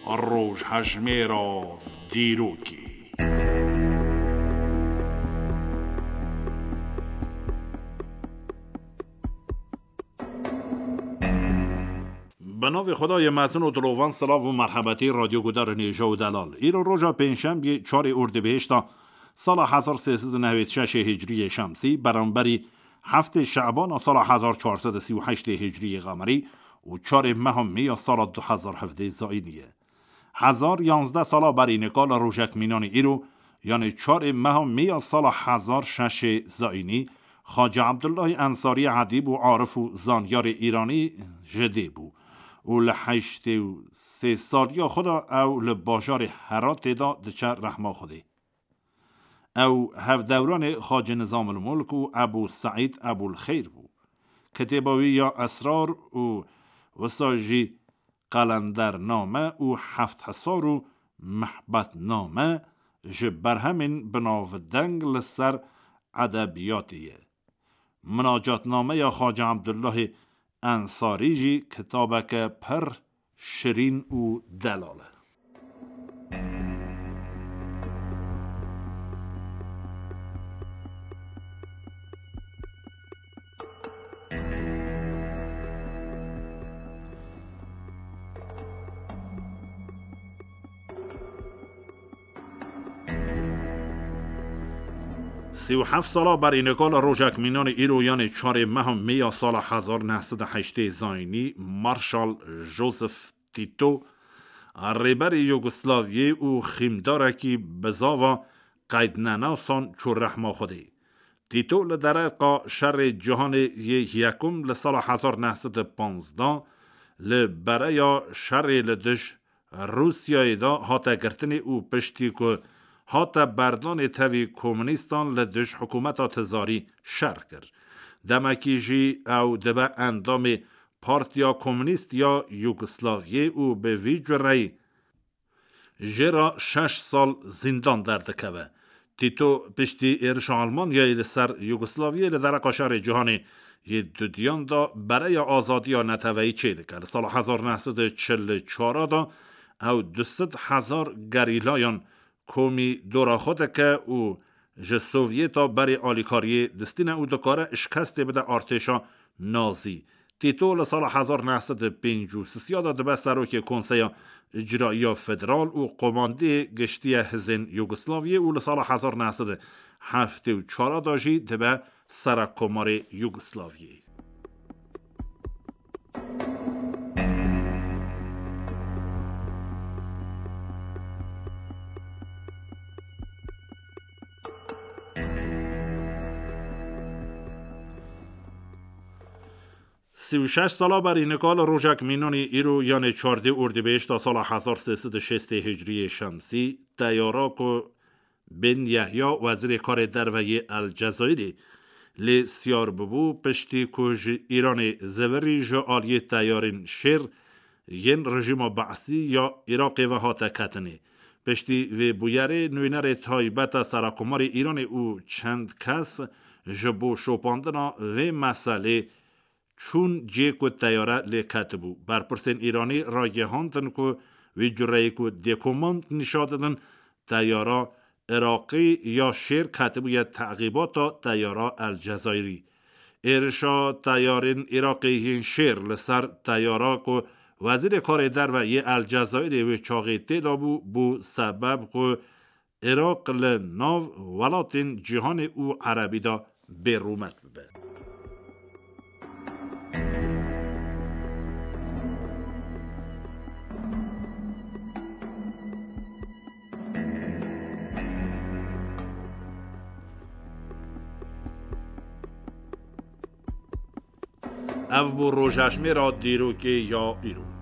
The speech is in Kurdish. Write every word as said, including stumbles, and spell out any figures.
Rojhejmêra dîrokê. Bi navê Xwedayê mezin û dilovan, silav û merhebetî radyogudarên hêja û delal. Îro roja pêncşembiyê çarê Ordibêhişta sala hezar sê sed û newêd şeşê hicriyê şemsî, beramberî heftê Şebana sala hezar çar sed û sî û heştê hicriyê qemerî û çarê meha Mê ya sala du hezar hevdeh zayînî ye. Hezar yanzdeh sala berî nika li rojek mînanê îro, yanê çarê meha Mê ya sala hezar şeşê zayînî, Xacî Ebdullahê Ensarî edîb û arif û zanyarê îranî ji dê bû û li heştê û sê saliya xwe de ew li bajarê Heratê de diçe rehma Xwedê. Ew hevdewranê Xacî Nizamulmulk û Ebû Seîd Ebûlxeyr bû. Kitêba wî ya Esrar û wisa jî Qelendername û Hefthisar û Mehbetname ji berhemên binavdeng li ser edebiyatê ye. Minacatnameya Xacî Ebdullahê Ensarî jî kitabeke pir şirîn û delal e. Sî û heft sala berî nika li rojek mînanê îro, yanê çarê meha Mê ya sala hezar neh sed û heştê zayînî, Marşal Joseph Tito, rêberê Yugoslaviyê û xîmdarekî bizava qeydnenasan çû rehma Xwedê. Tito li dereqa şerê cîhanê yê yekum li sala hezar neh sed û panzdeh li bereya şerê li dij Rûsyayê de hate girtinê û piştî ku hate berdanê tevî komunîstan li dij hikûmeta tizarî şer kir. Demekî jî ew dibe endamê Partiya Komûnîst ya Yugoslaviyê û bi vî cureyî jê re şeş sal zîndan derdikeve. Tîto piştî êrişa Almanyayê li ser Yugoslaviyê li dereqa şerê cîhanê yê dudiyan de bereya azadiya neteweyî çêdike. Li sala hezar neh sed û çil û çar de ew du sed hezar gerîlayan komî dora xwe dike û ji Sovyeta berê alîkariyê distîne û dikare şikestê bide artêşa Nazî. Tîto li sala hezar neh sed û pêncî û sisiya de dibe serokê Konseya Îcraiya Federal û komandiyê giştî ya hizên Yugoslaviyê û li sala hezar neh sed û heftê û çar de jî dibe Serekkomarê Yugoslaviyê. Sî û şeş sala berî nika li rojek mînanî îro, yanê çardê Ordibêhişta sala hezar sê sed û şêstê Hicriyê Şemsî, teyara ku Ben Yehya, wezîrê karê derve yê El Cezayirê, lê siyar bibû, piştî ku ji Îranê zivirî ji aliyê teyarên şêr yên rejîma Be'sî ya Iraqê ve hate ketinê. Piştî vê bûyerê, nûnerê taybet a Serekomarê Îranê û çend kes ji bo şopandina vê meselê çûn cê ku teyare lê ketibû. Berpirsên Îranî ragihandin ku wî cureyê ku dêkomand nîşa didin, teyara Iraqî ya şêr ketibûye teqîbata teyara El Cezayirî. Êrişa teyarên Iraqê yên şêr li ser teyara ku wezîrê karê derve yê El Cezayirê wê çaxê tê de bû, bû sebeb ku Iraq li nav welatên cîhanê û erebî de bêrûmet bibe. Ev bû rojhejmêra dîrokê ya îro.